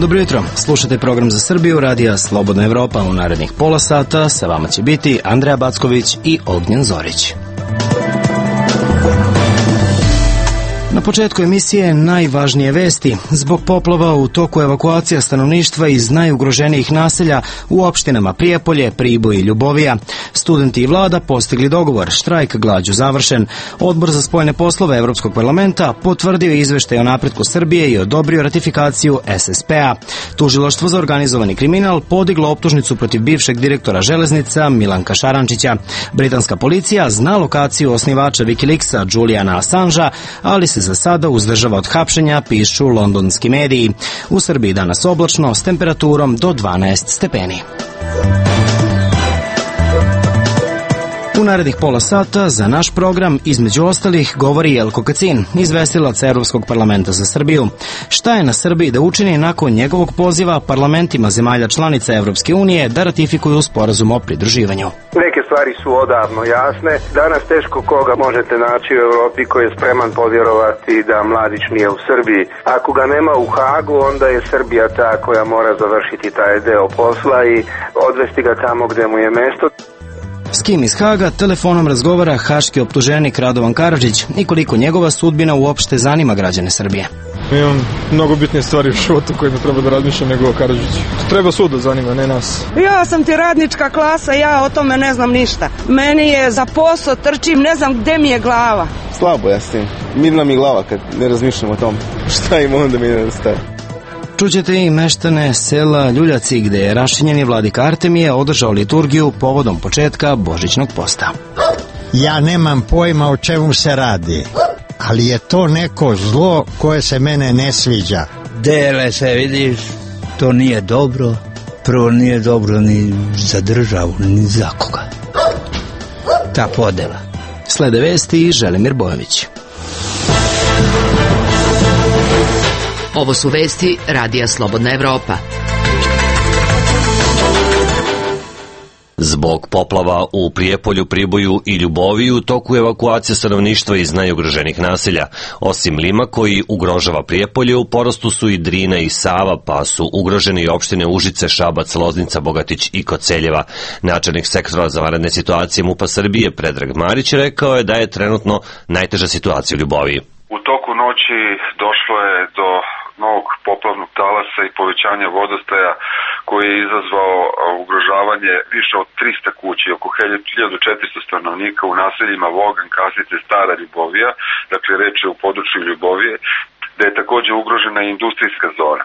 Dobro jutro, slušate program za Srbiju, radija Slobodna Evropa. U narednih pola sata sa vama će biti Andreja Backović i Ognjen Zorić. Na početku emisije najvažnije vesti. Zbog poplava u toku evakuacija stanovništva iz najugroženijih naselja u opštinama Prijepolje, Priboj i Ljubovija. Studenti i vlada postigli dogovor, štrajk glađu završen. Odbor za spoljne poslove Evropskog parlamenta potvrdio izveštaj o napretku Srbije i odobrio ratifikaciju SSP-a. Tužilaštvo za organizovani kriminal podiglo optužnicu protiv bivšeg direktora železnica Milanka Šarančića. Britanska policija zna lokaciju osnivača Wikileaksa Juliana Assangea, ali se za sada uzdržava od hapšenja, pišu londonski mediji. U Srbiji danas oblačno s temperaturom do 12 stepeni. U narednih pola sata za naš program, između ostalih, govori Jelko Kacin, izvestilac Evropskog parlamenta za Srbiju. Šta je na Srbiji da učini nakon njegovog poziva parlamentima zemalja članica Evropske unije da ratifikuju sporazum o pridruživanju? Neke stvari su odavno jasne. Danas teško koga možete naći u Evropi koji je spreman povjerovati da Mladić nije u Srbiji. Ako ga nema u Hagu, onda je Srbija ta koja mora završiti taj deo posla i odvesti ga tamo gde mu je mesto. S kim iz Haga telefonom razgovara haški optuženik Radovan Karadžić i koliko njegova sudbina uopšte zanima građane Srbije. Imam mnogo bitnije stvari u životu kojima treba da razmišljam nego Karadžić. Treba sud da zanima, ne nas. Ja sam ti radnička klasa, ja o tome ne znam ništa. Meni je za posao, trčim, ne znam gde mi je glava. Slabo ja s tim. Mirna mi glava kad ne razmišljam o tom. Šta im onda mi ne staje. Čućete i meštane sela Ljuljaci, gde je rašinjeni vladika Artemije održao liturgiju povodom početka Božićnog posta. Ja nemam pojma o čemu se radi, ali je to neko zlo koje se mene ne sviđa. Dele se, vidiš, to nije dobro. Prvo nije dobro ni za državu, ni za koga. Ta podela. Slede vesti i Želimir Bojović. Ovo su vesti radija Slobodna Evropa. Zbog poplava u Prijepolju, Priboju i Ljuboviji u toku evakuacije stanovništva iz najugroženih naselja. Osim Lima koji ugrožava Prijepolje, u porastu su i Drina i Sava, pa su ugrožene i opštine Užice, Šabac, Loznica, Bogatić i Koceljeva. Načelnik sektora za vanredne situacije MUP-a Srbije Predrag Marić rekao je da je trenutno najteža situacija u Ljuboviji. U toku noći došlo je do novog poplavnog talasa i povećanja vodostaja koji je izazvao ugrožavanje više od 300 kući, oko 1400 stanovnika u naseljima Vogan, Kasice, Stara Ljubovija, dakle reč je u području Ljubovije, da je također ugrožena i industrijska zona.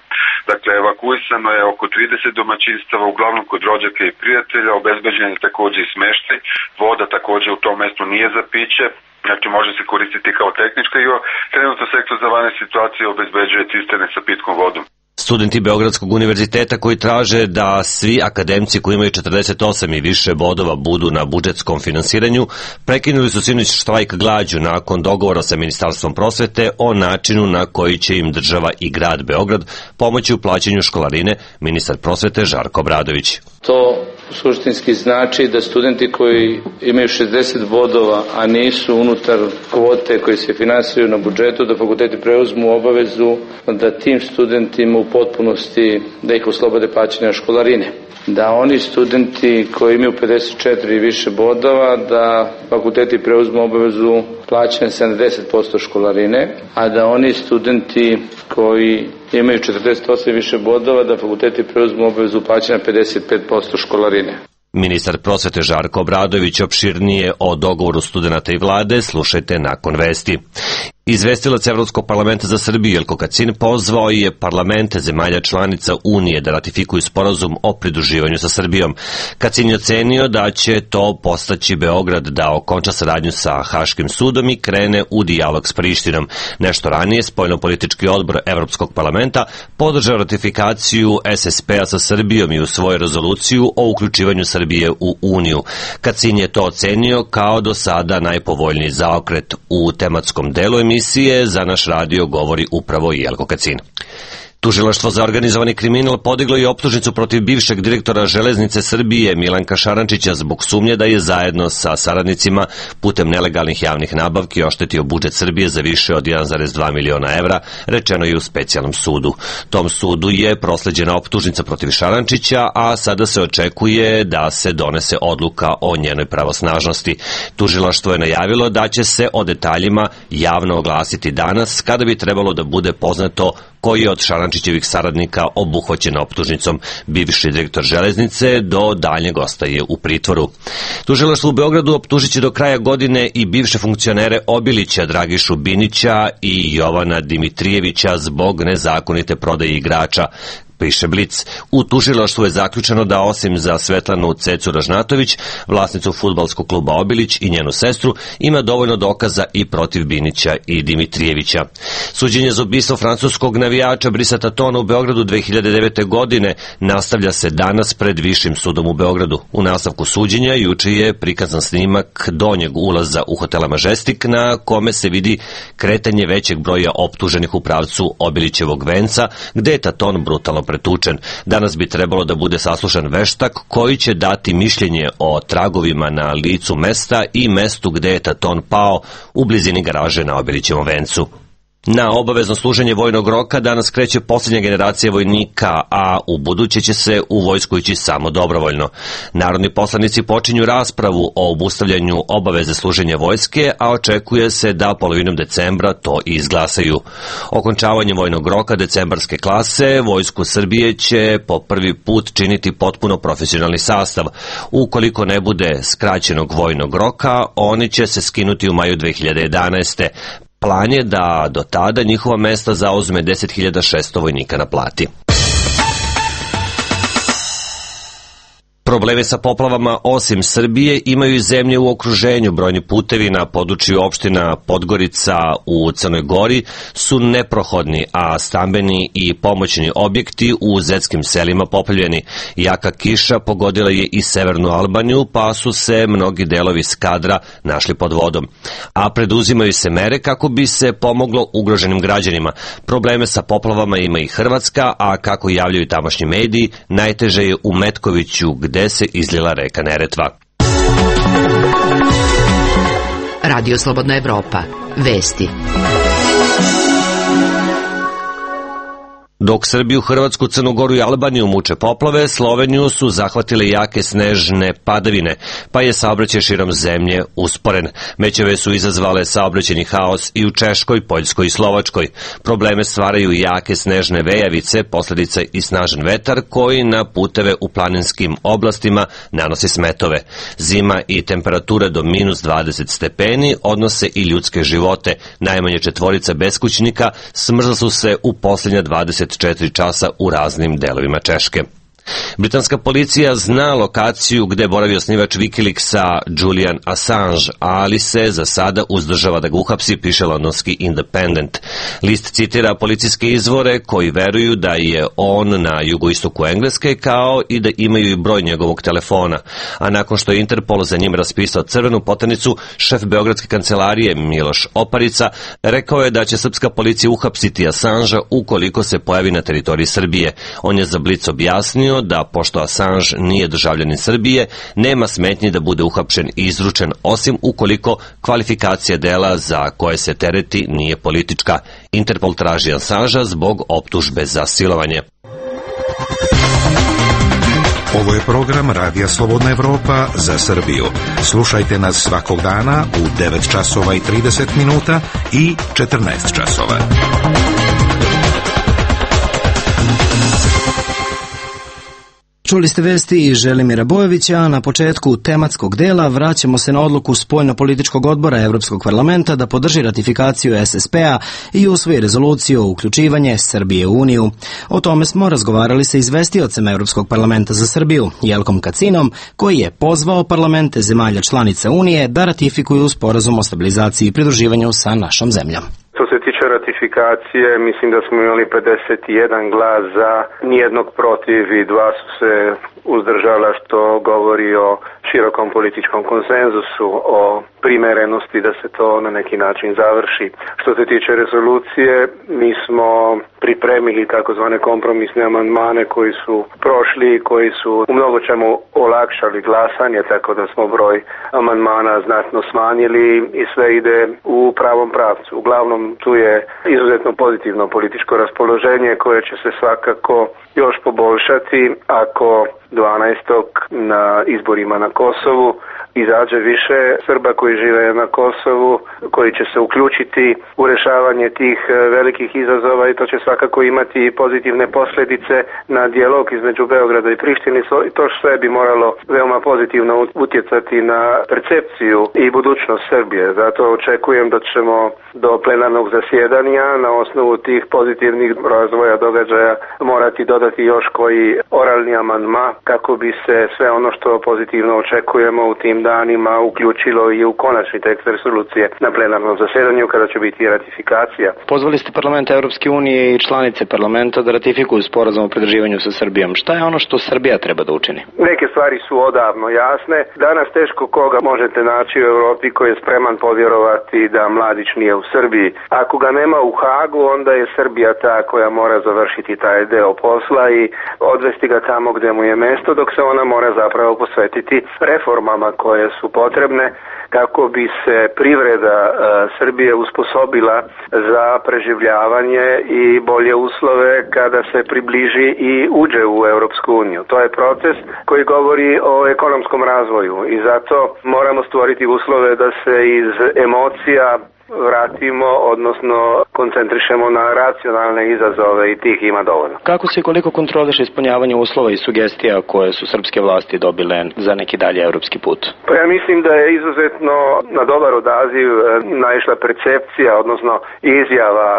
Dakle, evakuisano je oko 30 domaćinstava, uglavnom kod rođaka i prijatelja, obezbeđen je također i smeštaj, voda također u tom mestu nije za piće, znači može se koristiti kao tehnička i trenutno sektor za vanredne situacije obezbeđuje cisterne sa pitkom vodom. Studenti Beogradskog univerziteta koji traže da svi akademci koji imaju 48 i više bodova budu na budžetskom finansiranju prekinuli su sinoć štrajk glađu nakon dogovora sa Ministarstvom prosvete o načinu na koji će im država i grad Beograd pomoći u plaćanju školarine, ministar prosvete Žarko Obradović. To suštinski znači da studenti koji imaju 60 bodova, a nisu unutar kvote koji se finansiraju na budžetu, da fakulteti preuzmu obavezu da tim studentima u potpunosti da ih oslobode plaćanja školarine. Da oni studenti koji imaju 54 i više bodova, da fakulteti preuzmu obavezu plaćanja 70% školarine, a da oni studenti koji imaju 48 i više bodova, da fakulteti preuzmu obavezu plaćanja 55% školarine. Ministar prosvete Žarko Obradović opširnije o dogovoru studenata i vlade slušajte nakon vesti. Izvestilac Evropskog parlamenta za Srbiju Jelko Kacin pozvao je parlamente zemalja članica Unije da ratifikuju sporazum o pridruživanju sa Srbijom. Kacin je ocenio da će to postaći Beograd da okonča saradnju sa Haškim sudom i krene u dijalog s Prištinom. Nešto ranije spoljnopolitički odbor Evropskog parlamenta podržao ratifikaciju SSP-a sa Srbijom i u svoju rezoluciju o uključivanju Srbije u Uniju. Kacin je to ocenio kao do sada najpovoljniji zaokret u tematskom delu emisije. Za naš radio govori upravo Jelko Kacin. Tužilaštvo za organizovani kriminal podiglo je optužnicu protiv bivšeg direktora Železnice Srbije Milanka Šarančića zbog sumnje da je zajedno sa saradnicima putem nelegalnih javnih nabavki oštetio budžet Srbije za više od 1,2 miliona evra, rečeno je u specijalnom sudu. Tom sudu je prosleđena optužnica protiv Šarančića, a sada se očekuje da se donese odluka o njenoj pravosnažnosti. Tužilaštvo je najavilo da će se o detaljima javno oglasiti danas, kada bi trebalo da bude poznato koji je od Šarančićevih saradnika obuhvaćen optužnicom. Bivši direktor Železnice do daljnjeg ostaje u pritvoru. Tužilaštvo u Beogradu optužit će do kraja godine i bivše funkcionere Obilića, Dragišu Binića i Jovana Dimitrijevića zbog nezakonite prodaje igrača, piše Blic. U tužilaštvu je zaključeno da osim za Svetlanu Cecu Ražnatović, vlasnicu fudbalskog kluba Obilić i njenu sestru, ima dovoljno dokaza i protiv Binića i Dimitrijevića. Suđenje za ubistvo francuskog navijača Brisa Tatona u Beogradu 2009. godine nastavlja se danas pred Višim sudom u Beogradu. U nastavku suđenja juče je prikazan snimak donjeg ulaza u hotela Majestic, na kome se vidi kretanje većeg broja optuženih u pravcu Obilićevog venca, gde je Taton brutalno pretučen. Danas bi trebalo da bude saslušan veštak koji će dati mišljenje o tragovima na licu mesta i mestu gde je Taton pao u blizini garaže na Obilićevom vencu. Na obavezno služenje vojnog roka danas kreće posljednja generacija vojnika, a u buduće će se u vojsku ići samo dobrovoljno. Narodni poslanici počinju raspravu o obustavljanju obaveze služenja vojske, a očekuje se da polovinom decembra to i izglasaju. Okončavanjem vojnog roka decembarske klase, Vojsku Srbije će po prvi put činiti potpuno profesionalni sastav. Ukoliko ne bude skraćenog vojnog roka, oni će se skinuti u maju 2011. Plan je da do tada njihova mesta zauzme 10.600 vojnika na plati. Probleme sa poplavama osim Srbije imaju i zemlje u okruženju. Brojni putevi na području opština Podgorica u Crnoj Gori su neprohodni, a stambeni i pomoćni objekti u zetskim selima poplavljeni. Jaka kiša pogodila je i severnu Albaniju, pa su se mnogi delovi Skadra našli pod vodom. A preduzimaju se mere kako bi se pomoglo ugroženim građanima. Probleme sa poplavama ima i Hrvatska, a kako javljaju tamošnji mediji, najteže je u Metkoviću, gde se izlila reka Neretva. Radio Slobodna Evropa. Vesti. Dok Srbiju, Hrvatsku, Crnu Goru i Albaniju muče poplave, Sloveniju su zahvatile jake snežne padavine, pa je saobraćaj širom zemlje usporen. Mećave su izazvale saobraćajni haos i u Češkoj, Poljskoj i Slovačkoj. Probleme stvaraju jake snežne vejavice, posledica i snažan vetar koji na puteve u planinskim oblastima nanosi smetove. Zima i temperature do minus 20 stepeni odnose i ljudske živote. Najmanje 4 beskućnika smrzla su se u posljednja 24 časa u raznim delovima Češke. Britanska policija zna lokaciju gde boravi osnivač Wikileaksa Julian Assange, ali se za sada uzdržava da ga uhapsi, piše londonski Independent. List citira policijske izvore koji veruju da je on na jugoistoku Engleske, kao i da imaju i broj njegovog telefona. A nakon što je Interpol za njim raspisao crvenu poternicu, šef beogradske kancelarije Miloš Oparica rekao je da će srpska policija uhapsiti Assangea ukoliko se pojavi na teritoriji Srbije. On je za Blic objasnio da pošto Assange nije državljanin Srbije, nema smetnji da bude uhapšen i izručen, osim ukoliko kvalifikacija dela za koje se tereti nije politička. Interpol traži Assangea zbog optužbe za silovanje. Ovo je program Radija Slobodna Evropa za Srbiju. Slušajte nas svakog dana u 9 časova i 30 minuta i 14 časova. Čuli ste vesti Želimira Bojovića, a na početku tematskog dela vraćamo se na odluku Spoljno-političkog odbora Evropskog parlamenta da podrži ratifikaciju SSP-a i usvoji rezoluciju o uključivanje Srbije u Uniju. O tome smo razgovarali sa izvestiocem Evropskog parlamenta za Srbiju, Jelkom Kacinom, koji je pozvao parlamente zemalja članica Unije da ratifikuju sporazum o stabilizaciji i pridruživanju sa našom zemljom. Što se tiče ratifikacije, mislim da smo imali 51 glas za, nijednog protiv i 2 su se uzdržala, što govori o širokom političkom konsenzusu, o primerenosti da se to na neki način završi. Što se tiče rezolucije, mi smo pripremili takozvane kompromisne amandmane koji su prošli i koji su u mnogo čemu olakšali glasanje, tako da smo broj amandmana znatno smanjili i sve ide u pravom pravcu. Uglavnom tu je izuzetno pozitivno političko raspoloženje koje će se svakako još poboljšati ako 12. na izborima na Kosovu izađe više Srba koji žive na Kosovu, koji će se uključiti u rešavanje tih velikih izazova i to će svakako imati pozitivne posljedice na dijalog između Beograda i Prištine. To sve bi moralo veoma pozitivno utjecati na percepciju i budućnost Srbije. Zato očekujem da ćemo do plenarnog zasjedanja na osnovu tih pozitivnih razvoja događaja morati dodati još koji oralni amandman kako bi se sve ono što pozitivno očekujemo u tim danima uključilo i u konačni tekst rezolucije na plenarnom zasjedanju kada će biti ratifikacija. Pozvali ste parlament Evropske unije i članice parlamenta da ratifikuju sporazum o pridruživanju sa Srbijom. Šta je ono što Srbija treba da učini? Neke stvari su odavno jasne. Danas teško koga možete naći u Evropi koji je spreman povjerovati da Mladić nije u Srbiji. Ako ga nema u Hagu, onda je Srbija ta koja mora završiti taj deo posla i odvesti ga tamo gdje mu je mesto, dok se ona mora zapravo posvetiti reformama koje su potrebne kako bi se privreda Srbije usposobila za preživljavanje i bolje uslove kada se približi i uđe u Europsku uniju. To je proces koji govori o ekonomskom razvoju i zato moramo stvoriti uslove da se iz emocija vratimo, odnosno koncentrišemo na racionalne izazove i tih ima dovoljno. Kako se i koliko kontroliše ispunjavanje uslova i sugestija koje su srpske vlasti dobile za neki dalje evropski put? Pa ja mislim da je izuzetno na dobar odaziv naišla percepcija, odnosno izjava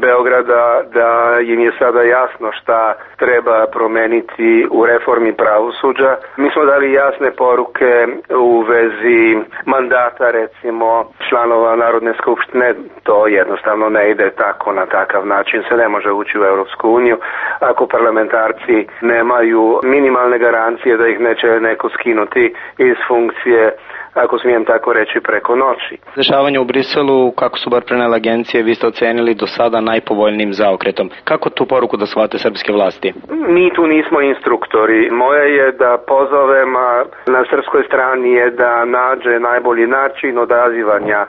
Beograda da im je sada jasno šta treba promeniti u reformi pravosuđa. Mi smo dali jasne poruke u vezi mandata, recimo, članova Narodne skupštine. To jednostavno ne ide tako, na takav način se ne može ući u Europsku uniju ako parlamentarci nemaju minimalne garancije da ih neće neko skinuti iz funkcije, ako smijem tako reći, preko noći. Dešavanje u Briselu, kako su bar prenele agencije, vi ste ocenili do sada najpovoljnijim zaokretom. Kako tu poruku da shvate srpske vlasti? Mi tu nismo instruktori. Moje je da pozovem, na srpskoj strani je da nađe najbolji način odazivanja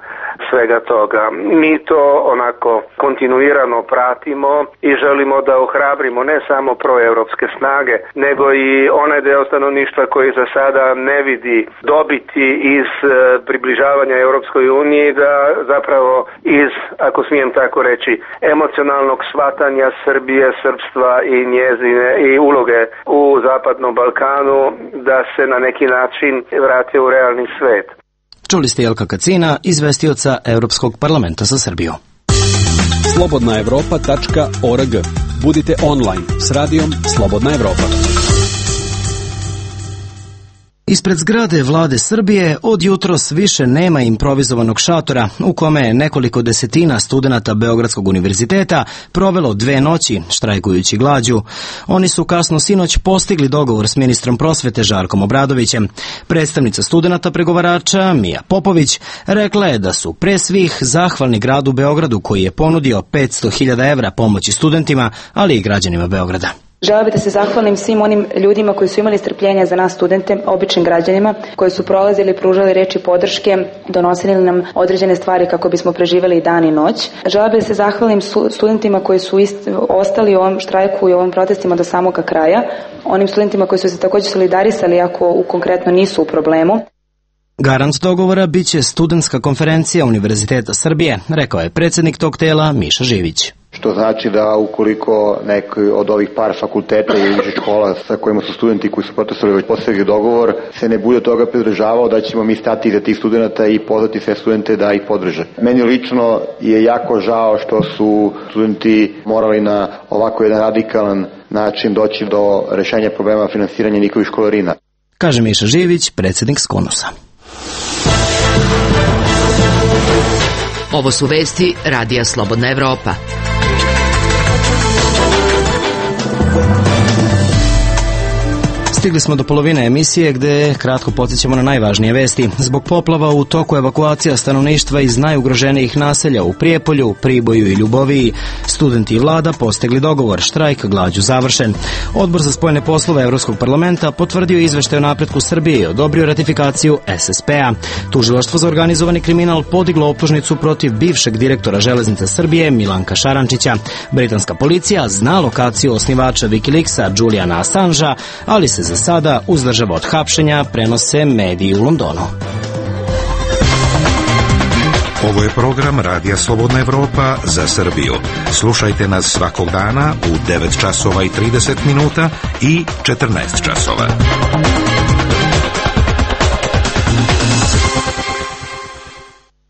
svega toga. Mi to onako kontinuirano pratimo i želimo da ohrabrimo ne samo proevropske snage, nego i onaj deo stanovništva koji za sada ne vidi dobiti iz približavanja Europskoj uniji, da zapravo iz, ako smijem tako reći, emocionalnog shvatanja Srbije, srpstva i njezine i uloge u Zapadnom Balkanu, da se na neki način vrate u realni svet. Čuli ste Jelka Kacina, izvestioca Europskog parlamenta za Srbiju. slobodnaevropa.org. Budite online s radijom Slobodna Evropa. Ispred zgrade vlade Srbije od jutros više nema improvizovanog šatora u kome je nekoliko desetina studenata Beogradskog univerziteta provelo 2 noći štrajkujući glađu. Oni su kasno sinoć postigli dogovor s ministrom prosvete Žarkom Obradovićem. Predstavnica studenata pregovarača Mija Popović rekla je da su pre svih zahvalni gradu Beogradu koji je ponudio 500.000 evra pomoći studentima, ali i građanima Beograda. Želela bih da se zahvalim svim onim ljudima koji su imali strpljenja za nas studente, običnim građanima, koji su prolazili, pružali reči podrške, donosili nam određene stvari kako bismo preživjeli dan i noć. Želela bih da se zahvalim studentima koji su ostali u ovom štrajku i u ovim protestima do samoga kraja, onim studentima koji su se također solidarisali ako konkretno nisu u problemu. Garant dogovora biće studentska konferencija Univerziteta Srbije, rekao je predsjednik tog tela Miša Živić. Što znači da ukoliko neki od ovih par fakulteta ili više škola sa kojima su studenti koji su protestovali postigli dogovor se ne bude toga pridržavao, da ćemo mi stati iza tih studenta i pozvati sve studente da ih podrže. Meni lično je jako žao što su studenti morali na ovako jedan radikalan način doći do rešenja problema finansiranja njihovih školarina. Kaže Miša Živić, predsjednik Skonusa. Ovo su vesti Radija Slobodna Evropa. Stigli smo do polovine emisije gde kratko podsjećamo na najvažnije vesti. Zbog poplava u toku evakuacija stanovništva iz najugroženijih naselja u Prijepolju, Priboju i Ljuboviji, studenti i vlada postigli dogovor, štrajk glađu završen. Odbor za spoljne poslove Evropskog parlamenta potvrdio izveštaj o napretku Srbije i odobrio ratifikaciju SSP-a. Tužilaštvo za organizovani kriminal podiglo optužnicu protiv bivšeg direktora Železnica Srbije Milanka Šarančića. Britanska policija zna lokaciju osnivača Wikileaksa Juliana Assangea, ali se za sada uzdržava od hapšenja, prenose mediji u Londonu. Ovo je program Radija Slobodna Evropa za Srbiju. Slušajte nas svakog dana u 9 časova i 30 minuta i 14 časova.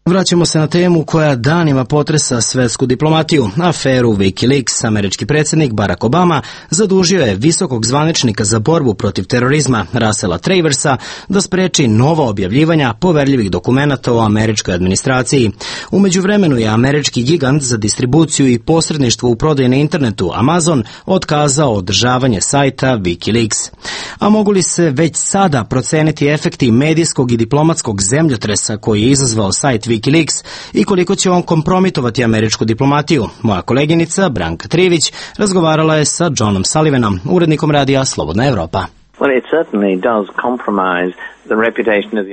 Vraćamo se na temu koja danima potresa svetsku diplomatiju. Aferu Wikileaks. Američki predsjednik Barack Obama zadužio je visokog zvaničnika za borbu protiv terorizma Russella Traversa da spreči nova objavljivanja poverljivih dokumenata o američkoj administraciji. U međuvremenu je američki gigant za distribuciju i posredništvo u prodaji na internetu Amazon otkazao održavanje sajta Wikileaks. A mogu li se već sada proceniti efekti medijskog i diplomatskog zemljotresa koji je izazvao sajt Wikileaks i koliko će on kompromitovati američku diplomatiju? Moja koleginica Branka Trivić razgovarala je sa Johnom Sullivanom, urednikom radija Slobodna Evropa.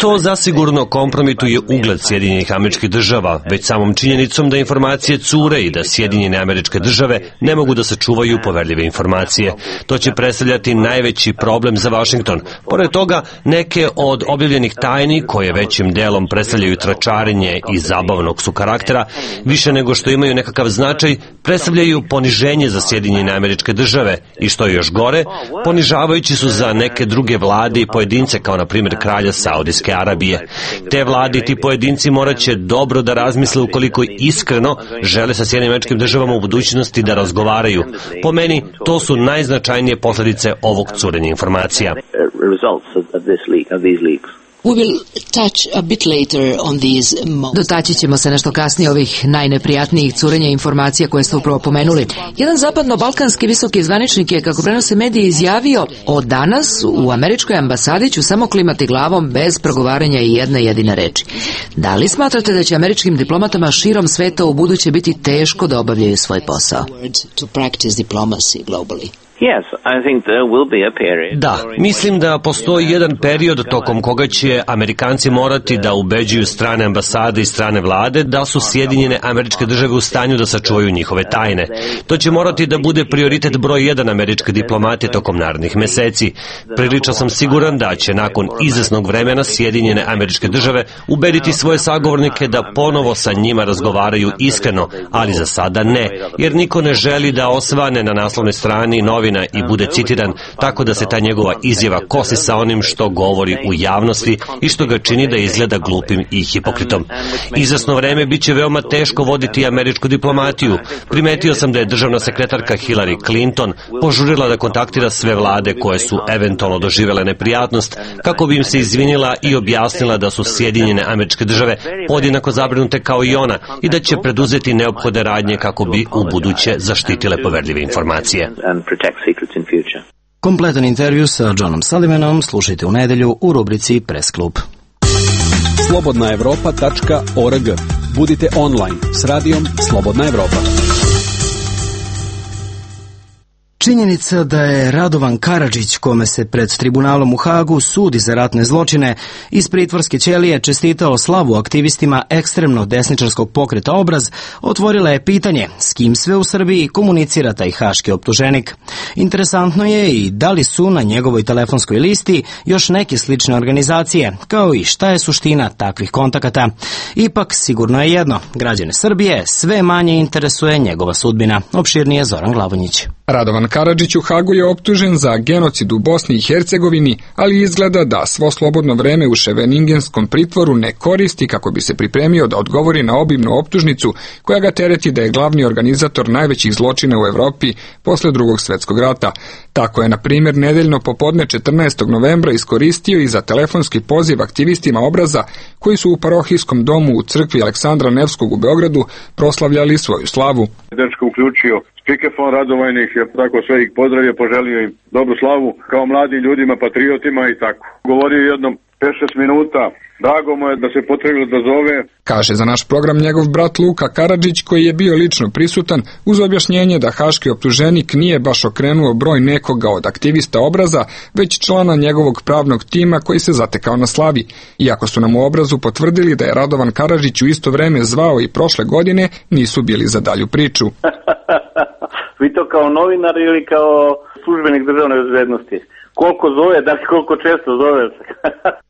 To zasigurno kompromituje ugled Sjedinjenih Američkih Država, već samom činjenicom da informacije cure i da Sjedinjene Američke Države ne mogu da sačuvaju poverljive informacije. To će predstavljati najveći problem za Vašington. Pored toga, neke od objavljenih tajni, koje većim delom predstavljaju tračarenje i zabavnog su karaktera, više nego što imaju nekakav značaj, predstavljaju poniženje za Sjedinjene Američke Države i što je još gore, ponižavajući su za neke druge vlade i pojedince, kao na primjer kralja Saudijske Arabije. Te vlade i ti pojedinci morat će dobro da razmisle ukoliko iskreno žele sa Sjedinjenim Američkim Državama u budućnosti da razgovaraju. Po meni, to su najznačajnije posljedice ovog curenja informacija. Dotaći ćemo se nešto kasnije ovih najneprijatnijih curenja informacija koje ste upravo pomenuli. Jedan zapadno-balkanski visoki zvaničnik je, kako prenose mediji, izjavio: od danas u američkoj ambasadi ću samo klimati glavom bez progovaranja i jedne jedine reči. Da li smatrate da će američkim diplomatama širom sveta u buduće biti teško da obavljaju svoj posao? Da, mislim da postoji jedan period tokom koga će Amerikanci morati da ubeđuju strane ambasade i strane vlade da su Sjedinjene Američke Države u stanju da sačuvaju njihove tajne. To će morati da bude prioritet broj 1 američke diplomatije tokom narednih meseci. Prilično sam siguran da će nakon izvesnog vremena Sjedinjene Američke Države ubediti svoje sagovornike da ponovo sa njima razgovaraju iskreno, ali za sada ne, jer niko ne želi da osvane na naslovnoj strani novina i bude citiran, tako da se ta njegova izjava kosi sa onim što govori u javnosti i što ga čini da izgleda glupim i hipokritom. Izvesno vreme bit će veoma teško voditi američku diplomatiju. Primetio sam da je državna sekretarka Hillary Clinton požurila da kontaktira sve vlade koje su eventualno doživele neprijatnost, kako bi im se izvinila i objasnila da su Sjedinjene Američke Države podjednako zabrinute kao i ona i da će preduzeti neophodne radnje kako bi u buduće zaštitile poverljive informacije. Kompletan intervju sa Johnom Sullivanom slušajte u nedelju u rubrici Press Klub. slobodnaevropa.org. Budite online s radijom Slobodna Evropa. Činjenica da je Radovan Karadžić, kome se pred tribunalom u Hagu sudi za ratne zločine, iz pritvorske ćelije čestitao slavu aktivistima ekstremno desničarskog pokreta Obraz, otvorila je pitanje s kim sve u Srbiji komunicira taj haški optuženik. Interesantno je i da li su na njegovoj telefonskoj listi još neke slične organizacije, kao i šta je suština takvih kontakata. Ipak, sigurno je jedno, građane Srbije sve manje interesuje njegova sudbina. Opširnije Zoran Glavonjić. Radovan Karadžić u Hagu je optužen za genocid u Bosni i Hercegovini, ali izgleda da svo slobodno vreme u Ševeningenskom pritvoru ne koristi kako bi se pripremio da odgovori na obimnu optužnicu koja ga tereti da je glavni organizator najvećih zločina u Evropi posle Drugog svjetskog rata. Tako je, na primjer, nedeljno popodne 14. novembra iskoristio i za telefonski poziv aktivistima Obraza koji su u parohijskom domu u crkvi Aleksandra Nevskog u Beogradu proslavljali svoju slavu. Dečko uključio Spikefon Radovajnih, tako sve ih pozdravio, poželio im dobru slavu kao mladim ljudima, patriotima i tako. Govorio jednom 5-6 minuta, drago mu je da se potrebno da zove. Kaže za naš program njegov brat Luka Karadžić, koji je bio lično prisutan, uz objašnjenje da haški optuženik nije baš okrenuo broj nekoga od aktivista Obraza, već člana njegovog pravnog tima koji se zatekao na slavi. Iako su nam u Obrazu potvrdili da je Radovan Karadžić u isto vreme zvao i prošle godine, nisu bili za dalju priču. Vi to kao novinar ili kao službenik državne bezbednosti? Koliko zove, da li koliko često zove?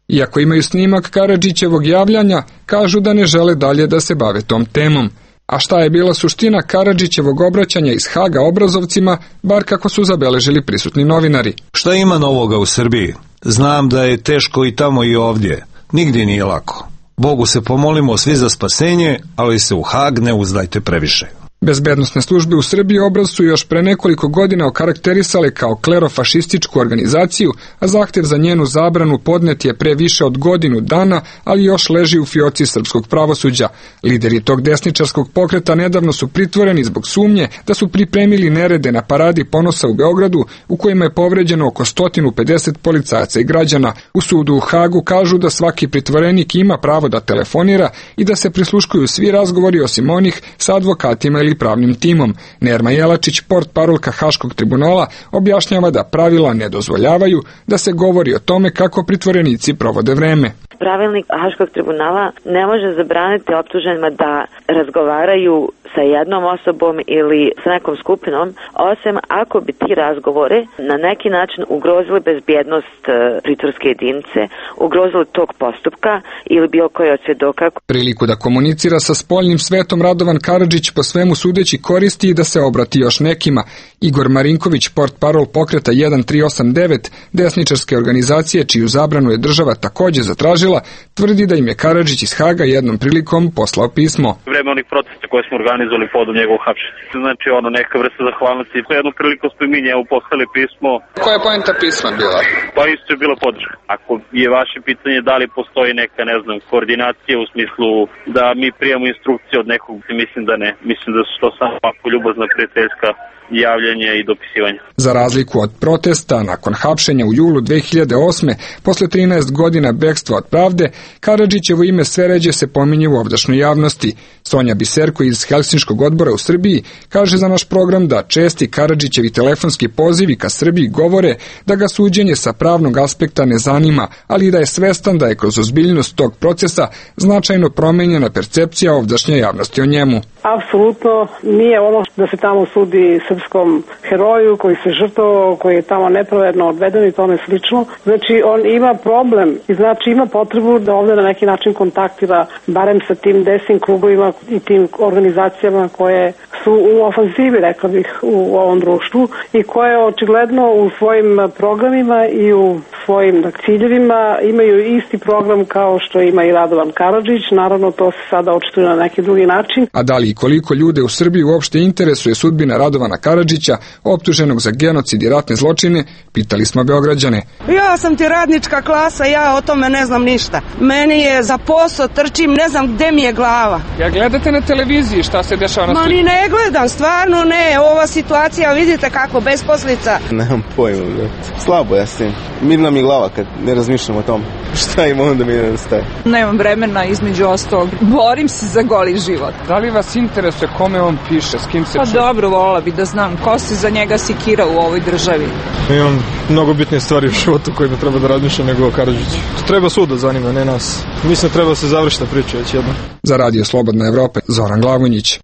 Iako imaju snimak Karadžićevog javljanja, kažu da ne žele dalje da se bave tom temom. A šta je bila suština Karadžićevog obraćanja iz Haga Obrazovcima, bar kako su zabeležili prisutni novinari? Šta ima novoga u Srbiji? Znam da je teško i tamo i ovdje. Nigdje nije lako. Bogu se pomolimo svi za spasenje, ali se u Hag ne uzdajte previše. Bezbednosne službe u Srbiji Obraz su još pre nekoliko godina okarakterisale kao klerofašističku organizaciju, a zahtev za njenu zabranu podnet je pre više od godinu dana, ali još leži u fioci srpskog pravosuđa. Lideri tog desničarskog pokreta nedavno su pritvoreni zbog sumnje da su pripremili nerede na paradi ponosa u Beogradu, u kojima je povređeno oko 150 policajaca i građana. U sudu u Hagu kažu da svaki pritvorenik ima pravo da telefonira i da se prisluškuju svi razgovori osim onih sa advokatima ili pravnim timom. Nerma Jelačić, portparolka Haškog tribunala, objašnjava da pravila ne dozvoljavaju da se govori o tome kako pritvorenici provode vreme. Pravilnik Haškog tribunala ne može zabraniti optuženima da razgovaraju sa jednom osobom ili sa nekom skupinom, osim ako bi ti razgovore na neki način ugrozili bezbjednost pritvorske jedinice, ugrozili tog postupka ili bilo koji od svjedoka. Priliku da komunicira sa spoljnim svetom Radovan Karadžić po svemu sudeći koristi i da se obrati još nekima. Igor Marinković, portparol pokreta 1389, desničarske organizacije čiju zabranu je država također zatražila, tvrdi da im je Karadžić iz Haga jednom prilikom poslao pismo. Vreme onih protesta koje smo organizovali podom njegovog hapšenja. Znači neka vrsta zahvalnosti. Jednu priliku smo mi njemu poslali pismo. Koja je poenta pisma bila? Pa isto je bila podrška. Ako je vaše pitanje da li postoji neka, koordinacija u smislu da mi prijemo instrukcije od nekog, mislim da ne. Mislim da su to samo ovako ljubazna prijateljska javljanje i dopisivanje. Za razliku od protesta, nakon hapšenja u julu 2008. posle 13 godina bekstva od pravde, Karadžićevo ime sve ređe se pominje u ovdašnjoj javnosti. Sonja Biserko iz Helsinškog odbora u Srbiji kaže za naš program da česti Karadžićevi telefonski pozivi ka Srbiji govore da ga suđenje sa pravnog aspekta ne zanima, ali da je svestan da je kroz ozbiljnost tog procesa značajno promenjena percepcija ovdašnje javnosti o njemu. Apsolutno nije ono da se tamo sudi srpskom heroju koji se žrtvovao, koji je tamo nepravedno odveden i tome slično. Znači on ima problem i znači ima potrebu da ovdje na neki način kontaktira barem sa tim desnim krugovima i tim organizacijama koje su u ofanzivi, rekla bih, u ovom društvu i koje očigledno u svojim programima i u svojim ciljevima imaju isti program kao što ima i Radovan Karadžić. Naravno to se sada očituje na neki drugi način. A da li i koliko ljude u Srbiji uopšte interesuje sudbina Radovana Karadžića, optuženog za genocid i ratne zločine, pitali smo Beograđane. Ja sam ti radnička klasa, ja o tome ne znam ništa. Meni je za posao, trčim, ne znam gde mi je glava. Ja gledate na televiziji šta se dešava na sliku? Ma ni ne gledam, stvarno ne. Ova situacija, vidite kako, besposlica. Nemam pojma, slabo ja s tim. Mirna mi glava kad ne razmišljam o tom. Šta im onda mi ne staje? Nemam vremena, između ostalog. Borim se za goli život. Da li vas interesuje kome on piše, s kim se čuje? Pa dobro, volila bi da znam ko se za njega sikira u ovoj državi. Imam mnogo bitnije stvari u životu kojima treba da razmišljam nego Karadžić. To treba sud da zanima, ne nas. Mislim da treba da se završi ta priča već jedno. Za Radio Slobodna Evropa, Zoran Glavonjić.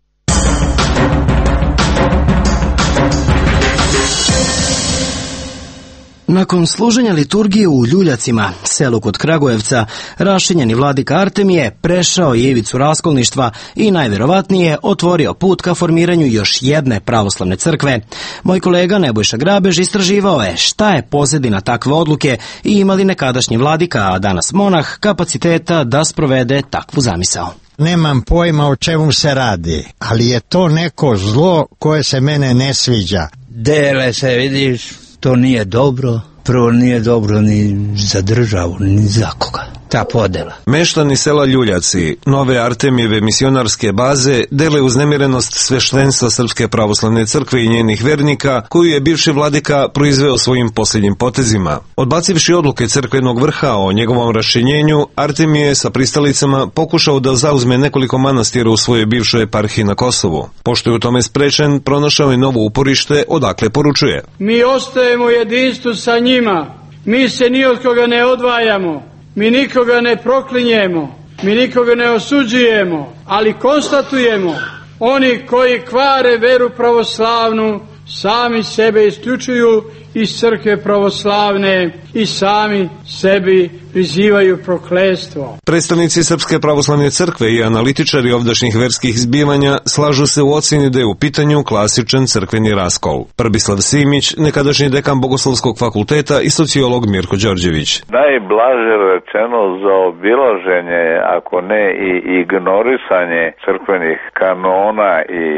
Nakon služenja liturgije u Ljuljacima, selu kod Kragujevca, rašinjeni vladika Artemije prešao je ivicu raskolništva i najverovatnije otvorio put ka formiranju još jedne pravoslavne crkve. Moj kolega Nebojša Grabež istraživao je šta je pozadina takve odluke i ima li nekadašnji vladika, a danas monah, kapaciteta da sprovede takvu zamisao. Nemam pojma o čemu se radi, ali je to neko zlo koje se mene ne sviđa. Dele se, vidiš, to nije dobro. Prvo nije dobro ni za državu, ni za koga. ta podela. Meštani sela Ljuljaci, nove Artemijeve misionarske baze, dele uznemirenost sveštenstva Srpske pravoslavne crkve i njenih vernika, koju je bivši vladika proizveo svojim posljednjim potezima. Odbacivši odluke crkvenog vrha o njegovom raščinjenju, Artemije je sa pristalicama pokušao da zauzme nekoliko manastira u svojoj bivšoj eparhiji na Kosovu. Pošto je u tome sprečen, pronašao je novo uporište, odakle poručuje: Mi ostajemo u jedinstvu sa njima, mi se ni od koga ne odvajamo, mi nikoga ne proklinjemo, mi nikoga ne osuđujemo, ali konstatujemo, oni koji kvare veru pravoslavnu, sami sebe isključuju iz crkve pravoslavne i sami sebi prizivaju prokletstvo. Predstavnici Srpske pravoslavne crkve i analitičari ovdašnjih verskih zbivanja slažu se u ocjeni da je u pitanju klasičan crkveni raskol. Prbislav Simić, nekadašnji dekan Bogoslovskog fakulteta, i sociolog Mirko Đorđević. Najblaže rečeno zaobilaženje, ako ne i ignorisanje crkvenih kanona i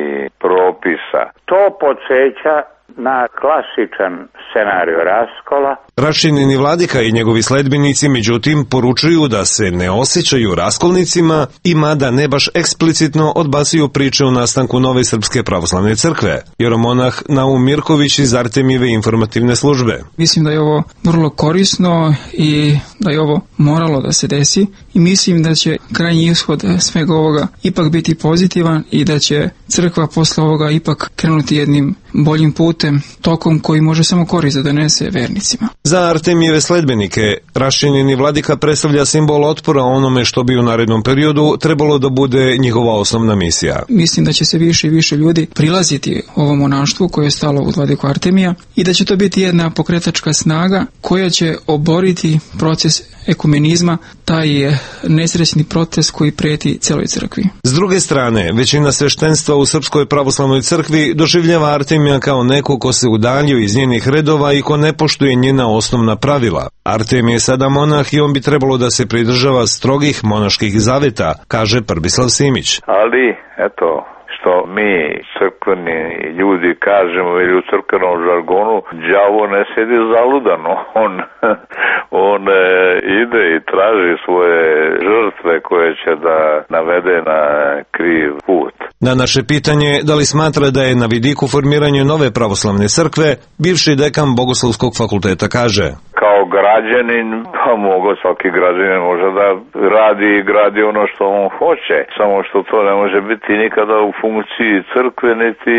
propisa. To podsjeća na klasičan scenarij raskola. Raščinjeni vladika i njegovi sledbenici, međutim, poručuju da se ne osjećaju raskolnicima i mada ne baš eksplicitno odbacuju priče o nastanku nove Srpske pravoslavne crkve. Jeromonah Naum Mirković iz Artemijeve informativne službe. Mislim da je ovo vrlo korisno i da je ovo moralo da se desi i mislim da će krajnji ishod svega ovoga ipak biti pozitivan i da će crkva posle ovoga ipak krenuti jednim boljim putem, tokom koji može samo korist da donese vernicima. Za Artemijeve sledbenike, raščinjeni vladika predstavlja simbol otpora onome što bi u narednom periodu trebalo da bude njihova osnovna misija. Mislim da će se više i više ljudi prilaziti ovom monaštvu koje je stalo u vladiku Artemija i da će to biti jedna pokretačka snaga koja će oboriti proces ekumenizma, taj nesrećni proces koji preti celoj crkvi. S druge strane, većina sveštenstva u Srpskoj pravoslavnoj crkvi doživljava Artemija kao neko ko se udaljio iz njenih redova i ko ne poštuje njena osnovna pravila. Artemije je sada monah i on bi trebalo da se pridržava strogih monaških zaveta, kaže Prbislav Simić. Ali, eto, što mi crkveni ljudi kažemo ili u crkvenom žargonu, đavo ne sedi zaludano, on ide i traži svoje žrtve koje će da navede na kriv put. Na naše pitanje da li smatra da je na vidiku formiranje nove pravoslavne crkve, bivši dekan Bogoslovskog fakulteta kaže: Kao građanin, pa svaki građanin može da radi i gradi ono što on hoće, samo što to ne može biti nikada u funkciji crkve niti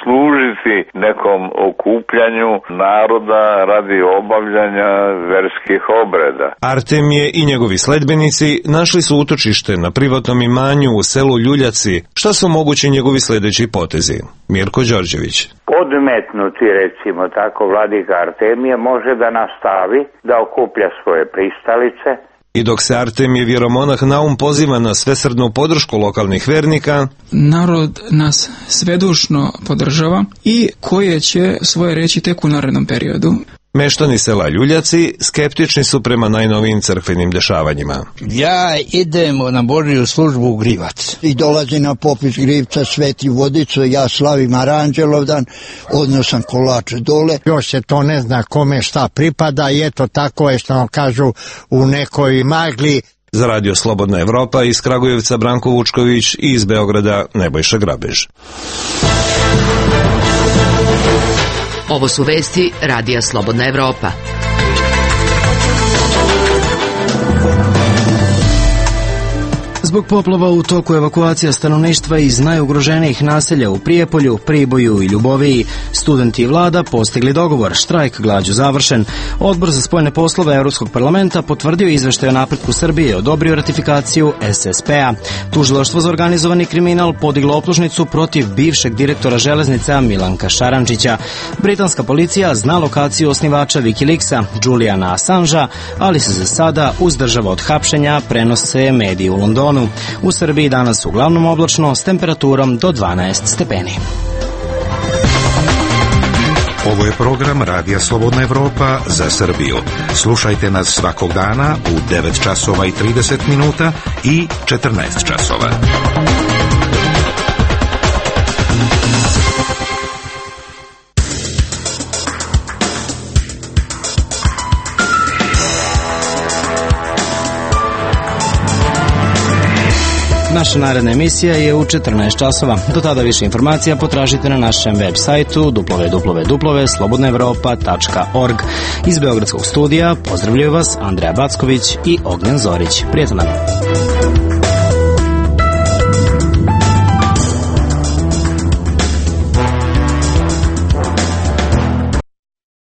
služiti nekom okupljanju naroda radi obavljanja verskih obreda. Artemije i njegovi sledbenici našli su utočište na privatnom imanju u selu Ljuljaci. Šta su mogući njegovi sledeći potezi? Mirko Đorđević. Odmetnuti, recimo tako, vladika Artemije može da nastavi da okuplja svoje pristalice. I dok se Artemijev jeromonah Naum poziva na svesrdnu podršku lokalnih vernika, narod nas svedušno podržava i koje će svoje reći tek u narednom periodu. Meštani sela Ljuljaci skeptični su prema najnovijim crkvenim dešavanjima. Ja idem na Božju službu u Grivac. I dolazi na popis Grivca, sveti vodicu, ja slavim Aranđelovdan, odnosam kolače dole. Još se to ne zna kome šta pripada i eto tako je što vam kažu u nekoj magli. Za Radio Slobodna Evropa iz Kragujevca Branko Vučković i iz Beograda Nebojša Grabež. Ovo su vesti Radija Slobodna Evropa. Zbog poplava u toku evakuacija stanovništva iz najugroženijih naselja u Prijepolju, Priboju i Ljuboviji, studenti i vlada postigli dogovor, štrajk glađu završen. Odbor za spoljne poslove Evropskog parlamenta potvrdio izveštaj o napretku Srbije i odobrio ratifikaciju SSP-a. Tužilaštvo za organizovani kriminal podiglo optužnicu protiv bivšeg direktora železnica Milanka Šarančića. Britanska policija zna lokaciju osnivača Wikileaksa, Juliana Assangea, ali se za sada uzdržava od hapšenja, prenose mediji u Londonu. U Srbiji danas uglavnom oblačno s temperaturom do 12 stepeni. Ovo je program Radija Slobodna Evropa za Srbiju. Slušajte nas svakog dana u 9 časova i 30 minuta i 14 časova. Naša naredna emisija je u 14 časova. Do tada više informacija potražite na našem web sajtu www.slobodnaevropa.org. Iz Beogradskog studija pozdravljaju vas Andreja Backović i Ognjen Zorić. Prijatno nam.